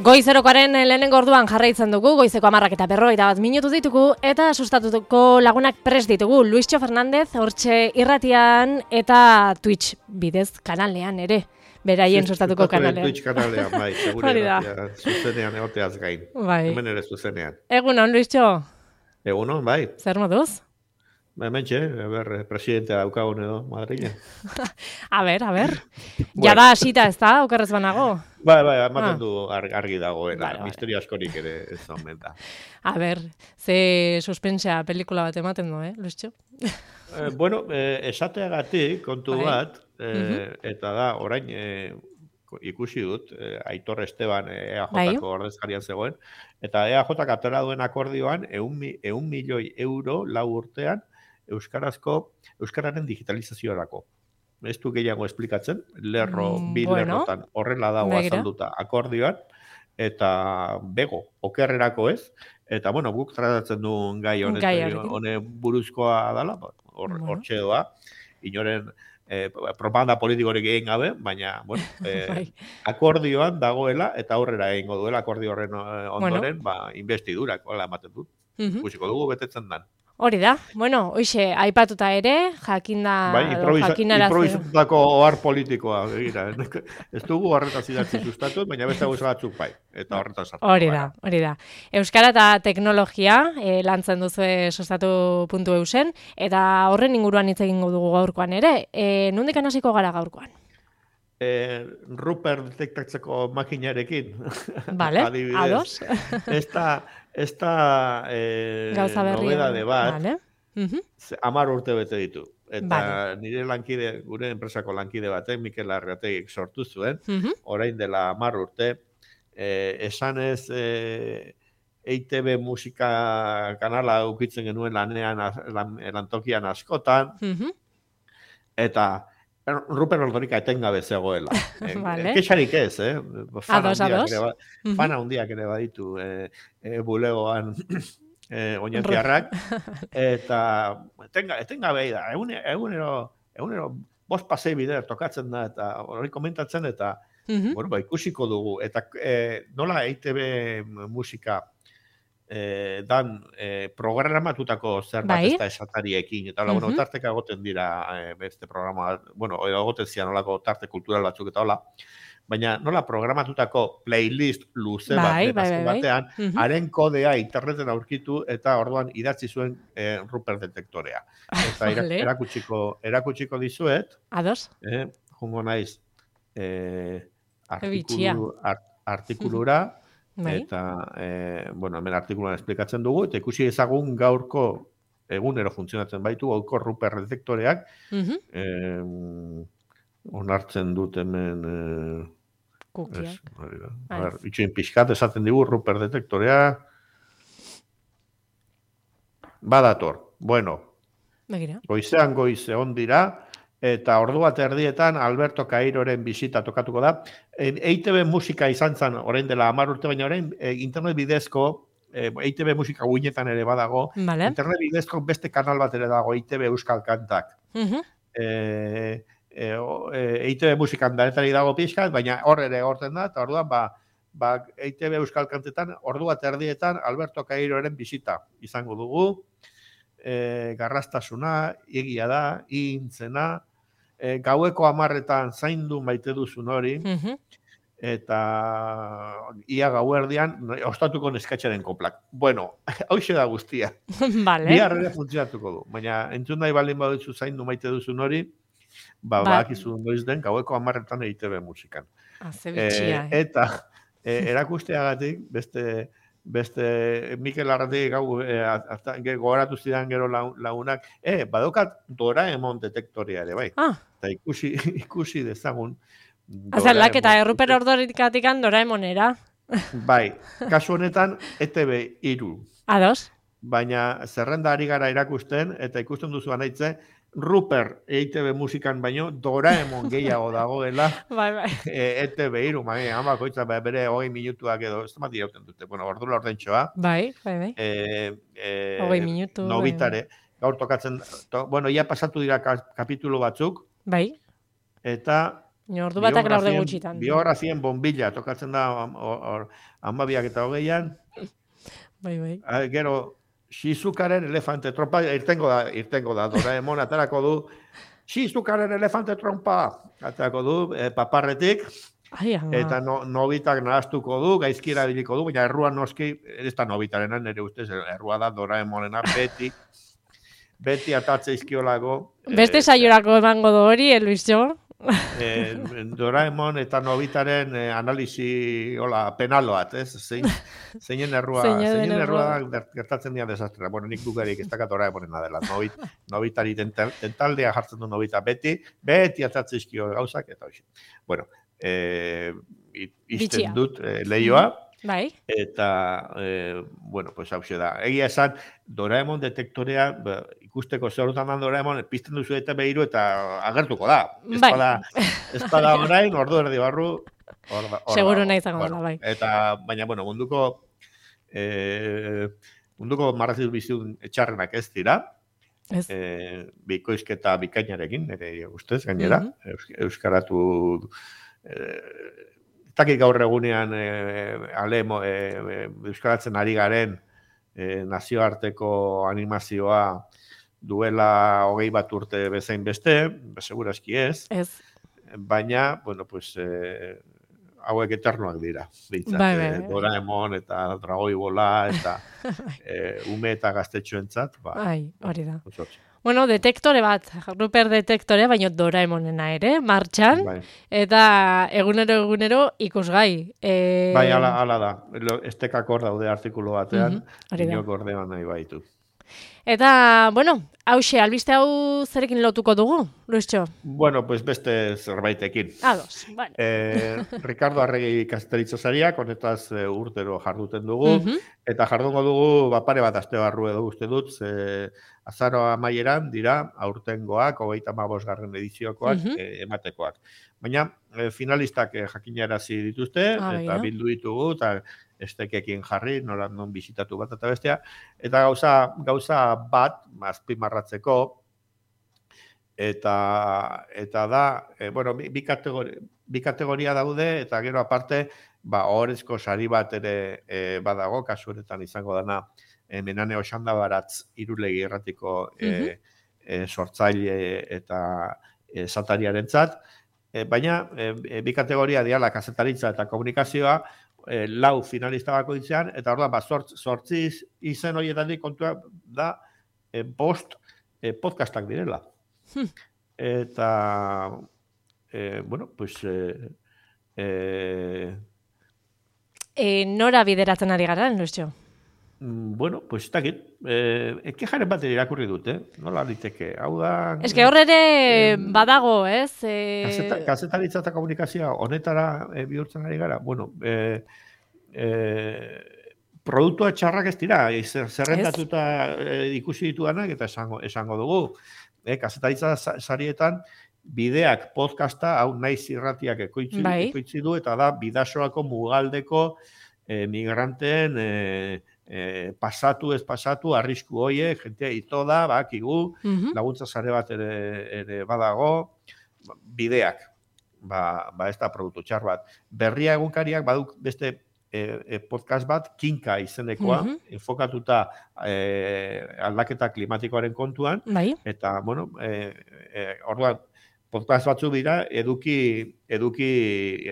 Goizerokoaren lehenengo orduan jarraitzen dugu, goizeko 10:41 ditugu, eta sustatuko lagunak prest ditugu. Luischo Fernandez, hortxe irratian eta Twitch bidez kanalean ere. Beraien sustatuko kanalean. Twitch kanalean, bai, segure irratia, zuzenean egoteaz gain. Bai. Hemen ere zuzenean. Egunon, Luischo? Egunon, bai. Zer moduz? Hementxe, presidentea daukagun edo, Madrilen. A ber. Jada hasita ez da, okerrez banago? Bai, ematen du argi dagoela, misterio askorik ere ez omen da. A ber, ze suspensea pelikula bat ematen du, Luischo? Bueno, esateagatik kontu bat, eta da, orain ikusi dut, Aitor Esteban EAJ-ko ordezkarian zegoen, eta EAJ-ak atera duen akordioan 100 milioi euro 4 urtean Euskararen digitalizaziorako. Ez du gehiago esplikatzen, bi lerrotan horrela dago azalduta akordioan, eta bego, okerrerako ez, eta bueno, guk tratatzen duen gai honen buruzkoa dela, hortxe doa, inoren propaganda politikorik egin gabe, baina, bueno, akordioan dagoela, eta aurrera egingo duela akordio horren ondoren, investidurak, hola ematen dut. Ikusiko dugu betetzen dan. Hori da, bueno, hoxe, aipatuta ere, improvisatutako ohar politikoa, begira. Ez dugu horretaz idatzi sustatu, baina beste gauza batzuk bai, eta horretaz hartu. Hori da. Euskara eta teknologia lantzen duzue sustatu.eusen, eta horren inguruan hitz egingo dugu gaurkoan ere. Nondik hasiko gara gaurkoan? Ruper detektatzeko makinarekin. Vale, ados. Ez da nobedade bat, 10 urte bete ditu. Eta nire lankide, gure enpresako lankide batek, Mikel Arrategik sortu zuen, orain dela 10 urte, esanez EITB musika kanala ukitzen genuen lantokian askotan, eta Ruper Ordorika etengabe zegoela. Kexarik ez, Fana hundiak ere baditu bulegoan oinetiarrak. Eta etengabe da. Egunero 5 pasei bider tokatzen da, eta hori komentatzen, eta ikusiko dugu. Eta nola EITB musika dan programatutako zerbait ez da esatariekin, eta bueno, tarteka egoten dira beste programa, bueno, egoten zian nolako tarte kultural batzuk eta hola, baina nola programatutako playlist luze batean, haren kodea interneten aurkitu, eta orduan idatzi zuen Ruper detektorea. Eta erakutsiko dizuet, jungo naiz artikulura, eta, hemen artikuluan esplikatzen dugu, eta ikusi ezagun gaurko egunero funtzionatzen baitu, gaurko Ruper detektoreak, onartzen dut hemen, itxoin pixkat, esaten digu Ruper detektorea, badator, bueno, goizean goize ondira, eta ordu bat erdietan Alberto Cairoren bisita tokatuko da. EITB musika izan zen, orain dela 10 urte, baina orain internet bidezko, EITB musika guinetan ere badago, internet bidezko beste kanal bat ere dago, EITB Euskal Kantak. EITB musikan danetari dago pixkat, baina hor ere horten da, eta orduan, EITB Euskal Kantetan, ordu bat erdietan Alberto Cairoren bisita izango dugu, garrastasuna, egia da, intzena, gaueko 10etan zaindu maite duzun hori, eta ia gauerdian ostatuko neskatxaren koplak. Bueno, hauxe da guztia. Bihar ere funtzionatuko du, baina entzun nahi baldin baduzu zaindu maite duzun hori, badakizu noiz den gaueko 10etan EITB musikan. Eta erakusteagatik, beste Mikel Arrategik gogoratu zidan gero lagunak, badokat Doraemon detektorea ere, bai. Eta ikusi dezagun. Azalak eta Ruper Ordorikatik Doraemonera. Bai, kasu honetan ETB 3. Ados. Baina zerrenda ari gara erakusten, eta ikusten duzu anaitze, Ruper EITB musikan baino Doraemon gehiago dagoela ETB 3, bakoitza bere 20 minutuak edo, ez da dirauten dute, ordula ordentxoa. Bai. 20 minutu. Nobitare, gaur tokatzen, ia pasatu dira kapitulu batzuk. Bai. Eta Ordu batak laurde gutxitan. Biografien bombilla, tokatzen da 12:20, Bai. Gero, Shizukaren elefante trompa, irtengo da, Doraemon aterako du, Shizukaren elefante trompa, aterako du, paparretik, eta Nobitak nahaztuko du, gaizki erabiliko du, baina erruan noski, ez da Nobitarena, nire ustez, errua da Doraemonena, beti atatze izkiolago. Beste saiorako emango du hori, Luisjo? Doraemon eta Nobitaren analisi penaloat, ez? Zeinen errua gertatzen dira desastrera. Bueno, nik dugarik ez dakat Doraemonena dela. Nobitari tentaldea jartzen du Nobita beti atatze izkio gauzak, eta hoxe. Bueno, izten dut lehioa. Bai. Eta, bueno, pues hau da. Egia esan, Doraemon detektorea, ikusteko zerutan da Doraemon, pizten duzu eta behiru eta agertuko da. Ez bada orain, ordu erdi barru, seguro nahi zango da, bai. Eta, baina, bueno, munduko marraziz bizitun etxarrenak ez dira. Bikoizketa bikainarekin, nire ustez, gainera. Euskaratu... Takik gaur egunean euskaratzen ari garen nazioarteko animazioa duela 20 bat urte bezain beste, segurazki ez. Baina, bueno, pues, hauek eternoak dira. Doraemon eta Dragoi Bola eta ume eta gaztetxoentzat. Hori da. Bueno, detektore bat, Rupert detektore, baina Doraemonena ere, martxan, eta egunero ikusgai. Bai, ala da. Estekak hor daude artikulu batean, inok ordean nahi baitu. Eta, bueno, hauxe, albiste hau zerekin lotuko dugu, Luisjo? Bueno, pues beste zerbaitekin. Ados, bueno. Ricardo Arregi kazetaritzaz ariak, honetaz urtero jarduten dugu, eta jardungo dugu pare bat aste barru edo uste dut, azaroa amaieran dira aurtengoak, 35. ediziokoak ematekoak. Baina finalistak jakinarazi dituzte, eta bildu ditugu, eta estekekin jarri, non bizitatu bat eta bestea, eta gauza bat, azpimarratzeko, eta da, bueno, bi kategoria daude, eta gero aparte, ohorezko sari bat ere badago, kasu honetan izango dana, Menane Oxanda Baratz irulegi erratiko sortzaile eta zatariarentzat, baina bi kategoria diala kazetaritza eta komunikazioa, 4 finalista bakoitzean, eta orduan, zortzi izen horietatik kontua da 5 podcastak direla. Eta, bueno, pues... Nora bideratzen ari gara, Luisjo? Bueno, pues ez dakit. Kejaren bat irakurri dut, nola liteke. Hau da... Ez que horre ere badago, ez? Kazetaritza eta komunikazioa honetara bihurtzen ari gara. Bueno, produktua txarrak ez dira, zerrendatuta ikusi dituanak, eta esango dugu. Kazetaritza sarietan, bideak podcasta, hau naiz irratiak ekoitzi du, eta da, bidasoako mugaldeko migranteen pasatu, ez pasatu, arrisku hoiek, jentea ito da, bakigu, laguntza sare bat ere badago, bideak, ez da produktu txar bat. Berria egunkariak baduk beste podcast bat, Kinka izenekoa, enfokatuta aldaketa klimatikoaren kontuan, eta, bueno, orduan, podcast batzu dira, eduki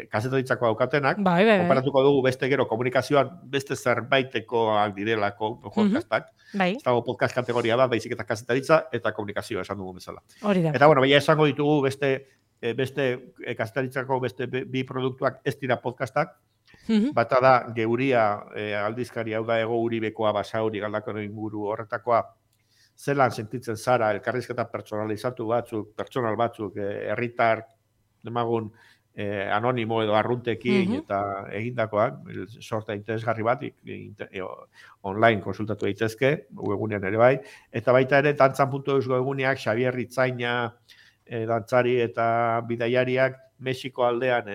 kazetaritzako daukatenak, konparatuko dugu beste gero komunikazioan beste zerbaitekoak direlako podcastak. Ez dago podcast kategoria bat, baizik eta kazetaritza eta komunikazioa esan dugu bezala. Eta, bueno, baina esango ditugu beste kazetaritzako beste bi produktuak ez dira podcastak, bata da Geuria aldizkari, hau da Ego Uribekoa, Basauri, Galdakao inguru horretakoa, zelan sentitzen zara, elkarrizketa personalizatu batzuk, personal batzuk, herritar demagun anonimo edo arruntekin eta egindakoak, sorta interesgarri bat, online konsultatu daitezke, webgunean ere bai, eta baita ere, dantzan.eus webguneak, Xabier Ritzaina, dantzari eta bidaiariak, Mexiko aldean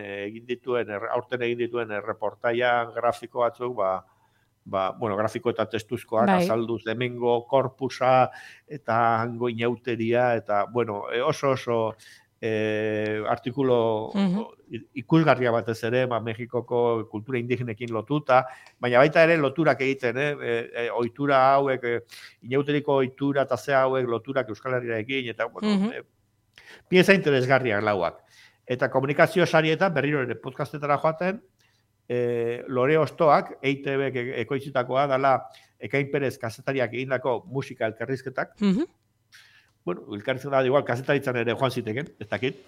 aurten egin dituen reportaia grafiko batzuk, bueno, grafiko eta testuzkoak azalduz hemengo korpusa eta hango inauteria eta, bueno, oso artikulo ikusgarria batez ere, Mexikoko kultura indigenekin lotuta, baina baita ere loturak egiten, ohitura hauek, inauteriko ohitura eta ze hauek loturak Euskal Herriarekin, eta, bueno, pieza interesgarriak lauak. Eta komunikazio sarietan, berriro ere podcastetara joaten, Lore Ostoak, EITB ekoitzitakoa, dala Ekain Perez kazetariak egindako musika elkarrizketak. Bueno, elkarrizketak igual kazetaritzan ere joan ziteken, ez dakit.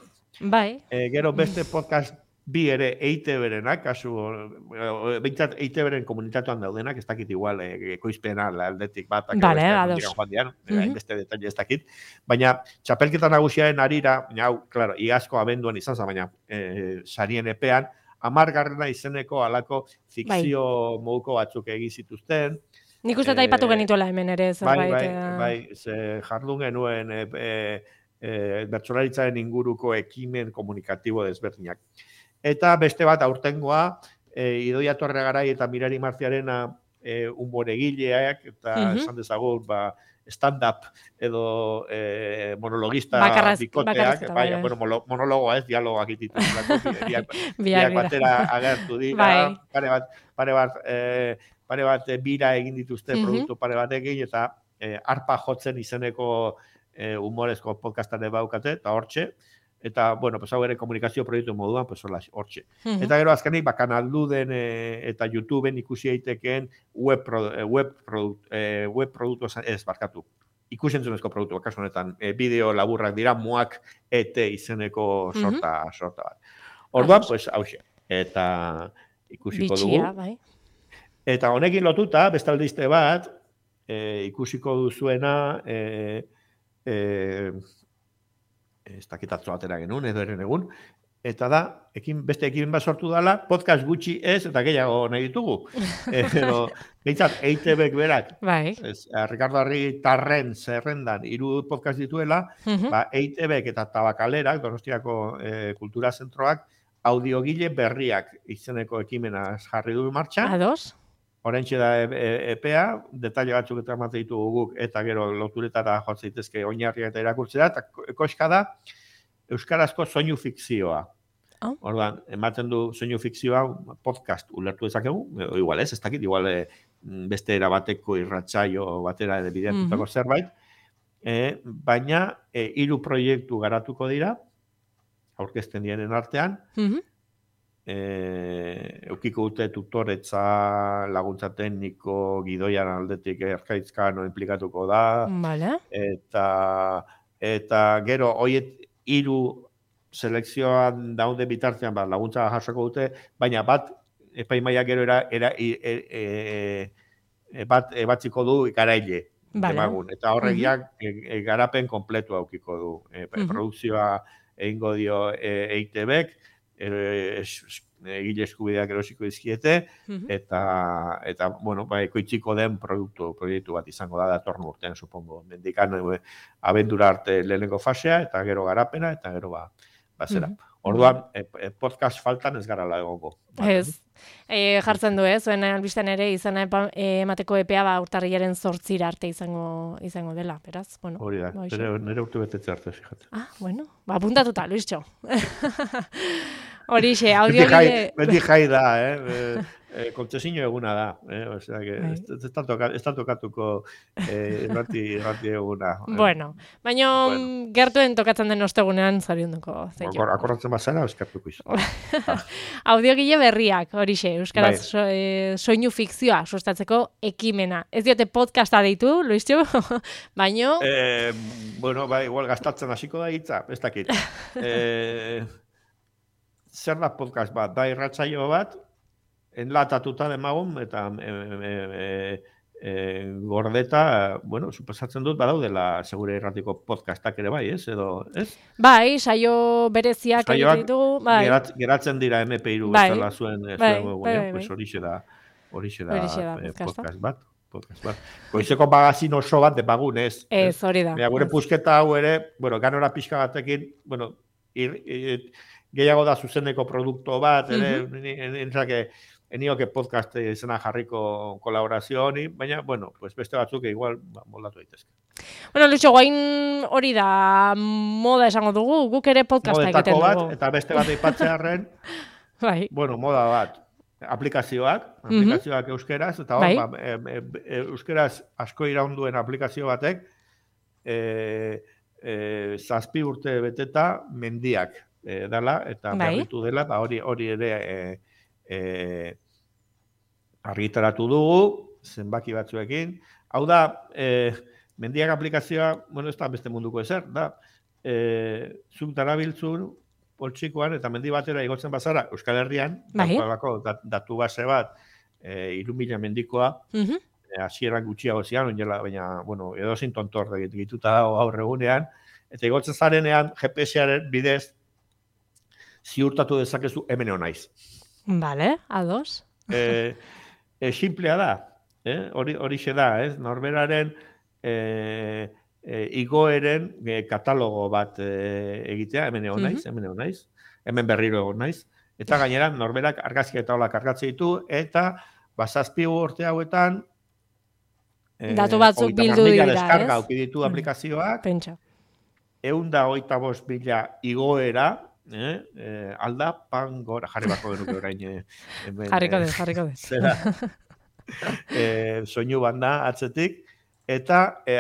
Bai. Gero beste podcast bi ere EITB-renak, kasu, behintzat EITB-ren komunitatuan daudenak, ez dakit igual ekoizpena aldetik bat, beste detalle ez dakit. Baina, txapelketa nagusiaren arira, hau, klaro, iazko abenduan izan za, baina sarien epean, 10. izeneko alako fikzio moduko batzuk egin zituzten. Nik uste aipatu genituela hemen ere, zerbait. Bai, jardun genuen bertsolaritzaren inguruko ekimen komunikatibo desberdinak. Eta beste bat aurtengoa, Idoia Torregarai eta Mirari Marziarena humoregileak, eta esan dezagun, stand-up edo monologista bikoteak, monologoa ez, dialogoak ititu. Biak batera agertu dira, pare bat bira egin dituzte produktu pare batekin, eta arpa jotzen izeneko humorezko podcastane baukate, eta hortxe, eta, bueno, hau ere komunikazio proiektu moduan, hortxe. Eta gero azkenik, kanalduden eta YouTubeen ikusi eitekeen web produktu ez barkatu. Ikusentzunezko produktu, kasu honetan, bideo laburrak dira, muak izeneko sorta bat. Orduan, hauxe. Eta ikusiko dugu. Bitxia, bai. Eta honekin lotuta, bestaldiste bat, ikusiko duzuena, ez dakitatzo atera genuen, edo eren egun, eta da, beste ekimen bat sortu dela, podcast gutxi ez, eta gehiago nahi ditugu. Behintzat, EITB-ek berak, Ricardo Argitarren zerrendan 3 podcast dituela, EITB-ek eta Tabakalerak, Donostiako Kultura Zentroak, audiogile berriak izeneko ekimena jarri du martxan. Ados. Horentxe da epea, detaile batzuk eta emate ditugu guk, eta gero loturetara jotzen daitezke oinarriak eta irakurtzea, eta koska da euskarazko soinu fikzioa. Orduan, ematen du soinu fikzioa podcast ulertu dezakegu, igual ez dakit, igual beste erabateko irratsaio batera bideratutako zerbait, baina 3 proiektu garatuko dira, aurkezten dienen artean, eukiko dute tutoretza, laguntza tekniko, gidoian aldetik Arkaitzkano implikatuko da, eta gero hoiet 3 selekzioan daude bitartean laguntza jasoko dute, baina bat epaimaia gero bat ebatziko du garaile. Eta horregiak garapen kompletua aukiko du. Produkzioa egingo dio EITB-ek, egile eskubideak erosiko dizkiete, eta bueno, ekoitziko den proiektu bat izango da datorren urtean, supongo. Mendikan abendura arte lehenengo fasea, eta gero garapena, eta gero zera. Orduan, podcast faltan ez gara egongo. Ez. Jartzen du, zuen albisten ere izena emateko epea urtarrilaren 8 arte izango dela, beraz. Hori da, nire urte betetze arte, fijate. Bueno, apuntatuta, Luistxo. Horixe, audiogile... Beti jai da, kontzesino eguna da, osea, ez tokatuko irrati eguna. Bueno, baina gertuen tokatzen den ostegunean zorionduko. Akordatzen bazara, eskartuko izan. Audiogile berriak, horixe, euskaraz soinu fikzioa sustatzeko ekimena. Ez diote podcasta deitu, Luistxo, baino... Bueno, igual gastatzen hasiko da hitza, ez dakit. Zer da podcast bat, da irratsaio bat, enlatatuta demagun, eta gordeta, bueno, suposatzen dut, badaudela segure irratiko podcastak ere bai, ez? Edo, ez? Bai, saio bereziak egiten ditugu, bai. Geratzen dira MP3 bezala zuen egunean, pues horixe da podcast bat. Goizeko magazin oso bat depagun, ez? Ez, hori da. Gure pusketa hau ere, bueno, ganora pixka batekin, bueno, gehiago da zuzeneko produktu bat, enioke podcast izena jarriko kolaborazio honi, baina, bueno, beste batzuk igual moldatu daitezke. Bueno, Lucho, guain hori da moda esango dugu, guk ere podcasta egiten dugu. Modetako bat, eta beste bat aipatzearren, bai. bueno, moda bat, aplikazioak euskeraz, eta bai. Euskeraz asko iraunduen aplikazio batek, 7 urte beteta mendiak dela, eta berritu dela, eta hori ere argitaratu dugu, zenbaki batzuekin. Hau da, mendiak aplikazioa, bueno, ez da beste munduko ezer, da, zuk darabiltzun, poltsikoan, eta mendi batera igotzen bazara, Euskal Herrian, datu base bat, 3.000 mendikoa, hasieran gutxiago zian, baina, bueno, edozein tontor egituta dago gaur egunean, eta igotzen zarenean, GPS-aren bidez, ziurtatu dezakezu hemen naiz. Vale, ados. Simplea da, horixe da, norberaren igoeren katalogo bat egitea, hemen naiz, hemen berriro egon naiz, eta gainera norberak argazki eta hola kargatzen ditu, eta 7 urte hauetan datu batzuk bildu dira, deskarga ditu aplikazioak, 125.000 igoera, aldapan gora, jarri bako genuke orain. Jarriko dez. Zera, soinu banda atzetik, eta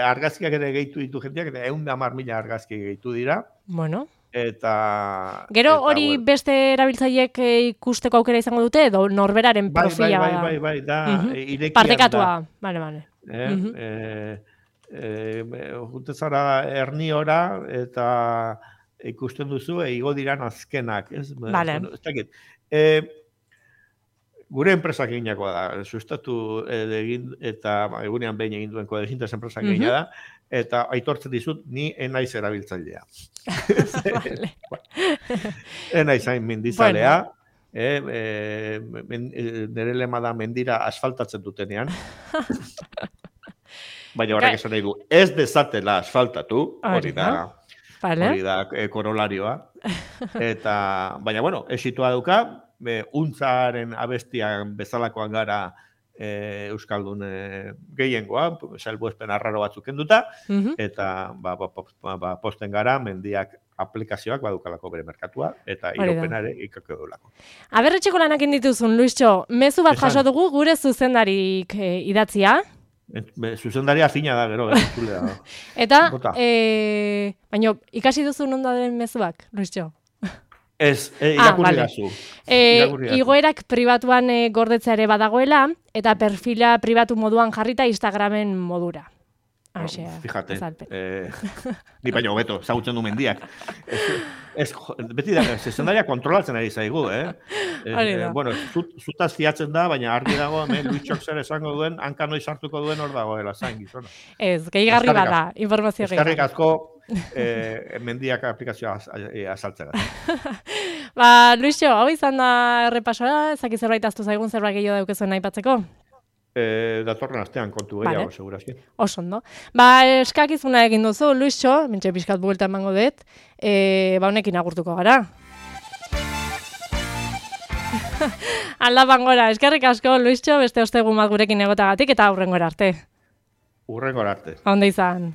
argazkiak ere gehitu ditu jendeak, eta 110.000 argazki gehitu dira. Bueno. Eta... Gero hori beste erabiltzaileek ikusteko aukera izango dute, edo norberaren profila bada? Bai, da, irekian da. Partekatua, bale. Jute zara erniora, eta ikusten duzu, igo diran azkenak. Vale. Ez dakit. Gure enpresak eginakoa da, sustatu egin, eta egunean behin egin duen kodezintaz enpresak egina da, eta aitortzen dizut, ni enaiz erabiltzailea. Enaiz hain mendizalea, nire lema da mendira asfaltatzen dutenean, baina horrek esan nahi du, ez dezatela asfaltatu, hori da korolarioa, eta, baina bueno, esitua dauka, untzaren abestian bezalakoan gara Euskaldun gehiengoa, salbuespen arraro batzuk kenduta, eta posten gara mendiak aplikazioak badukalako bere merkatua, eta iropenare ikako edulako. Aberretxeko lanak indituzun, Luistxo, mezu bat jaso dugu gure zuzendarik idatzia. Zuzendaria fina da, gero, zulea. Eta, baina, ikasi duzun ondo den mezuak, Luistxo? Ez, irakurri gazu. Igoerak pribatuan gordetzea ere badagoela, eta perfila pribatu moduan jarrita Instagramen modura. Fíjate, ni baino hobeto, zagutzen du mendiak. Beti da, zezendaria kontrolatzen ari zaigu, Bueno, zutaz fiatzen da, baina argi dago, Luitxok zer esango duen, hanka noiz hartuko duen hor dagoela, zain gizona. Ez, gehigarri bada, informazio gehigarri. Eskarrik asko, mendiak aplikazioa azaltzea. Luixo, hau izan da errepasoa, ezaki zerbait aztu zaigun zerbait gehiago daukezuen aipatzeko? Datorren astean kontu gehiago, segurazki. Osondo. Eskakizuna egin duzu, Luixo, mentxe pixkat buelta emango dut, honekin agurtuko gara. Aldapan gora, eskerrik asko, Luixo, beste ostegun bat gurekin egotagatik, eta hurrengora arte. Hurrengora arte. Onda izan.